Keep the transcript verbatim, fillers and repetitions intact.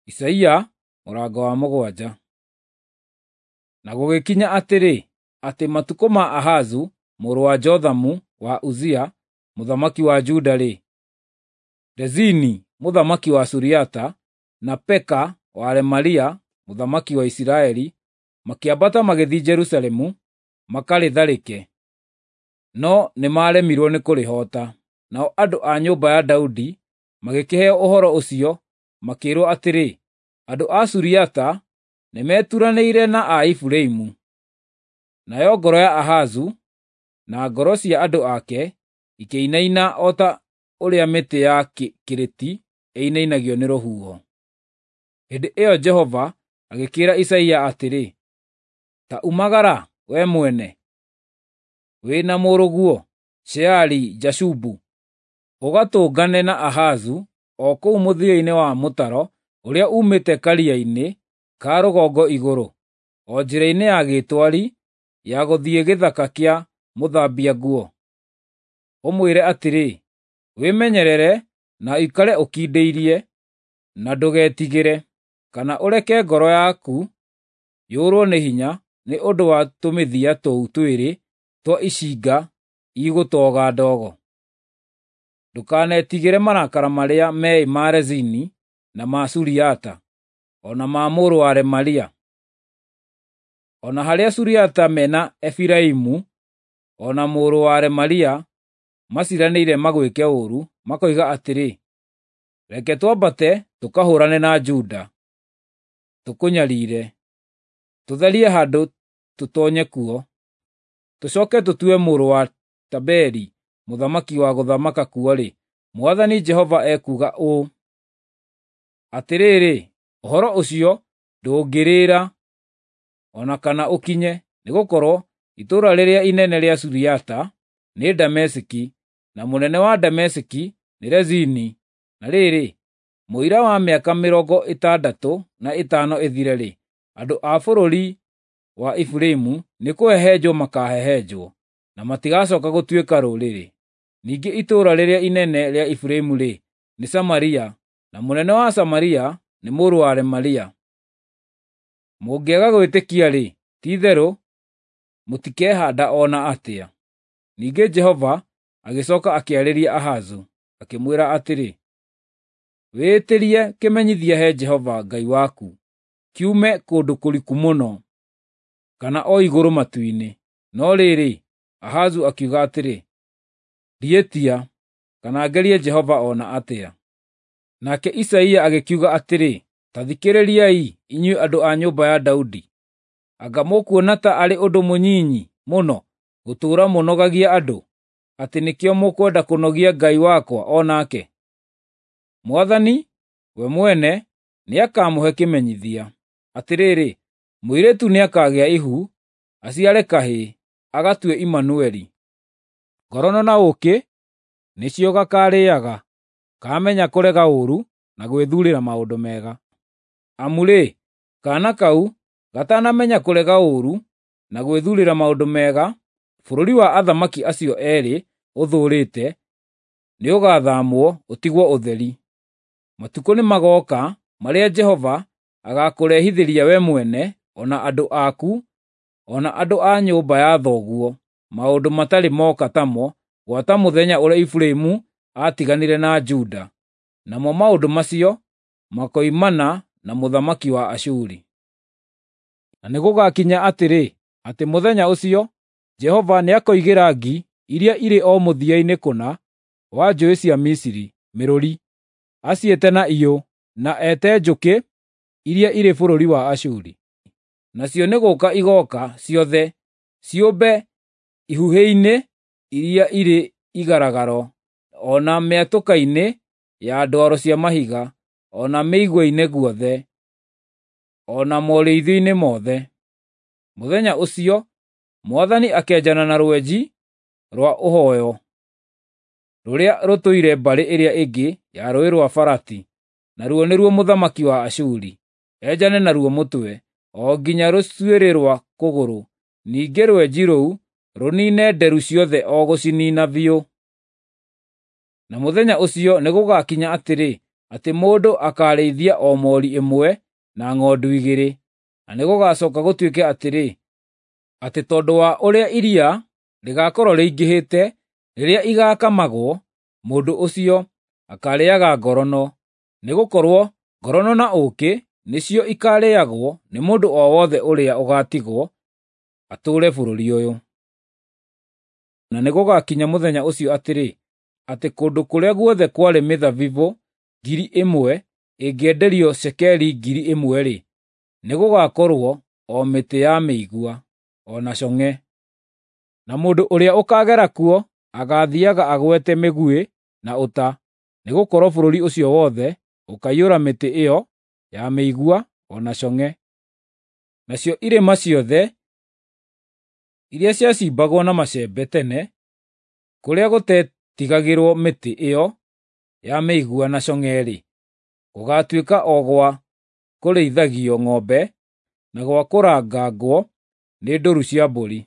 Isaia mũrango wa mũgwanja. Na gũgĩkinya atĩrĩ, atĩ matukũ ma Ahazu mũrũ wa Jothamu wa Uzia mũthamaki wa Juda-rĩ, Rezini mũthamaki wa Suriata na Peka wa Remalia mũthamaki wa Isiraeli makĩambata magĩthiĩ Jerusalemu makarĩtharĩke, no nĩmaremirwo nĩ kũrĩhoota. Nao andũ a nyũmba ya Daudi magĩkĩheo ũhoro ũcio makĩĩrwo atĩrĩ, “Andũ a Suriata nĩmeturanĩire na a Efiraimu.” Nayo ngoro ya Ahazu na ngoro cia andũ ake ikĩinaina o ta ũrĩa mĩtĩ ya kĩrĩti ĩinainagio nĩ rũhuho. Hĩndĩ ĩyo Jehova agĩkĩĩra Isaia atĩrĩ, “Ta umagara, wee mwene, wĩ na mũrũguo Sheari-Jashubu, ũgatũngane na Ahazu o kũu mũthia-inĩ wa mũtaro ũrĩa uumĩte karia-inĩ ka rũgongo igũrũ, o njĩra-inĩ ya gĩtwari ya gũthiĩ gĩthaka kĩa mũthambia nguo. Ũmwĩre atĩrĩ, ‘Wĩmenyerere na ũikare ũkindĩirie, na ndũgetigĩre, kana ũreke ngoro yaku yũrwo nĩ hinya nĩ ũndũ wa tũmĩthia tũu twĩrĩ twa icinga igũtoga ndogo. Ndũkanetigĩre marakara marĩa meĩ ma Rezini na ma Suriata, o na ma mũrũ wa Remalia. O na harĩa Suriata mena Efiraimu o na mũrũ wa Remalia maciranĩire magwĩke ũũru, makoiga atĩrĩ, ‘Reke twambate tũkahũũrane na Juda, tũkũnyariire, tũtharie handũ tũtoonye kuo, tũcooke tũtue mũrũ wa Tabeeli mũthamaki wa gũthamaka kuo-rĩ,’ Mwathani Jehova ekuuga ũũ: Atĩrĩrĩ, ũhoro ũcio ndũngĩrĩra o na kana ũkinye, nĩgũkorwo itũũra rĩrĩa inene rĩa Suriata nĩ Dameski, na mũnene wa Dameski nĩ Rezini. Na rĩrĩ, mũira wa mĩaka mĩrongo ĩtandatũ na ĩtano ĩthire-rĩ, andũ a bũrũri wa Efiraimu nĩkũhehenjwo makaahehenjwo, na matigacooka gũtuĩka rũrĩrĩ. Ningĩ itũũra rĩrĩa inene rĩa Efiraimu-rĩ, nĩ Samaria, na mũnene wa Samaria nĩ mũrũ wa Remalia. Mũngĩaga gwĩtĩkia-rĩ, ti-itherũ mũtikehaanda o na atĩa.” Ningĩ Jehova agĩcooka akĩarĩria Ahazu, akĩmwĩra atĩrĩ, “Wĩĩtĩrie kĩmenyithia he Jehova Ngai waku kiume kũndũ kũriku mũno, kana o igũrũ matu-inĩ.” No rĩrĩ, Ahazu akiuga atĩrĩ, “Ndiĩtia, kana ngerie Jehova o na atĩa.” Nake Isaia agĩkiuga atĩrĩ, “Ta thikĩrĩriai, inyuĩ andũ a nyũmba ya Daudi. Anga mũkuona ta arĩ ũndũ mũnyinyi mũno gũtũũra mũnogagia andũ, atĩ nĩkĩo mũkwenda kũnogia Ngai wakwa o nake? Mwathani we mwene nĩakamũhe kĩmenyithia. Atĩrĩrĩ, mũirĩtu nĩakagĩa ihu, aciare kahĩĩ, agatue Imanueli. Ngorono na ũũkĩ nĩcio gakaarĩĩaga, kaamenya kũrega ũũru na gwĩthuurĩra maũndũ mega. Amu-rĩ, kaana kau gatanamenya kũrega ũũru na gwĩthuurĩra maũndũ mega, bũrũri wa athamaki acio eerĩ ũthuurĩte nĩũgathaamwo ũtigwo ũtheri. Matukũ nĩmagooka marĩa Jehova agaakũrehithĩria we mwene, o na andũ aku, o na andũ a nyũmba ya thoguo maũndũ matarĩ moka tamo gwata mũthenya ũrĩa Efiraimu aatiganire na Juda, namo maũndũ macio makoimana na mũthamaki wa Ashuri. Na nĩgũgakinya atĩrĩ, atĩ mũthenya ũcio Jehova nĩakoigĩra ngi iria irĩ o mũthia-inĩ kũna wa njũũĩ cia Misiri mĩrũri, aciĩte na iyũ, na ete njũkĩ iria irĩ bũrũri wa Ashuri. Nacio nĩgũũka igooka ciothe ciũmbe ihuhĩ-inĩ iria irĩ igaragaro, o na mĩatũka-inĩ ya ndwaro cia mahiga, o na mĩigua-inĩ guothe, o na morĩithio-inĩ mothe. Mũthenya ũcio Mwathani akenjana na rwenji rwa ũhooyo rũrĩa rũtũire mbarĩ ĩrĩa ĩngĩ ya Rũũĩ rwa Farati, naruo nĩruo mũthamaki wa Ashuri, enjane naruo mũtwe, o nginya rũcuĩrĩ rwa kũgũrũ. Ningĩ rwenji rũu rũniine nderu ciothe o gũciniina biũ. Na mũthenya ũcio nĩgũgakinya atĩrĩ, atĩ mũndũ akarĩithia o mori ĩmwe na ng'ondu igĩrĩ. Na nĩgũgacoka gũtuĩke atĩrĩ, atĩ tondũ wa ũrĩa iria rĩgakorũo rĩingĩhĩte rĩrĩa igakamagwo, mũndũ ũcio akarĩaga ngorono, nĩ gũkorũo ngorono na ũũkĩ nĩcio ikarĩagwo nĩ mũndũ o wothe ũrĩa ũgatigwo atũũre bũrũri ũyũ. Na nĩgũgakinya mũthenya ũcio atĩrĩ, atĩ kũndũ kũrĩa guothe kwarĩ mĩthabibu ngiri ĩmwe ĩngĩenderio cekeri ngiri ĩmwe-rĩ, nĩgũgakorũo o mĩtĩ ya mĩigua, o na cong'e. Na mũndũ ũrĩa ũkagera kuo agaathiaga agwete mĩguĩ na ũta, nĩgũkorũo bũrũri ũcio wothe ũkaiyũra mĩtĩ ĩyo ya mĩigua o na cong'e. Nacio irĩma ciothe iria ciacimbagwo na macembe tene, kũrĩa gũtetigagĩrwo mĩtĩ ĩyo ya mĩigua na cong'e-rĩ, gũgaatuĩka o gwa kũrĩithagio ng'ombe na gwa kũrangangwo nĩ ndũru cia mbũri.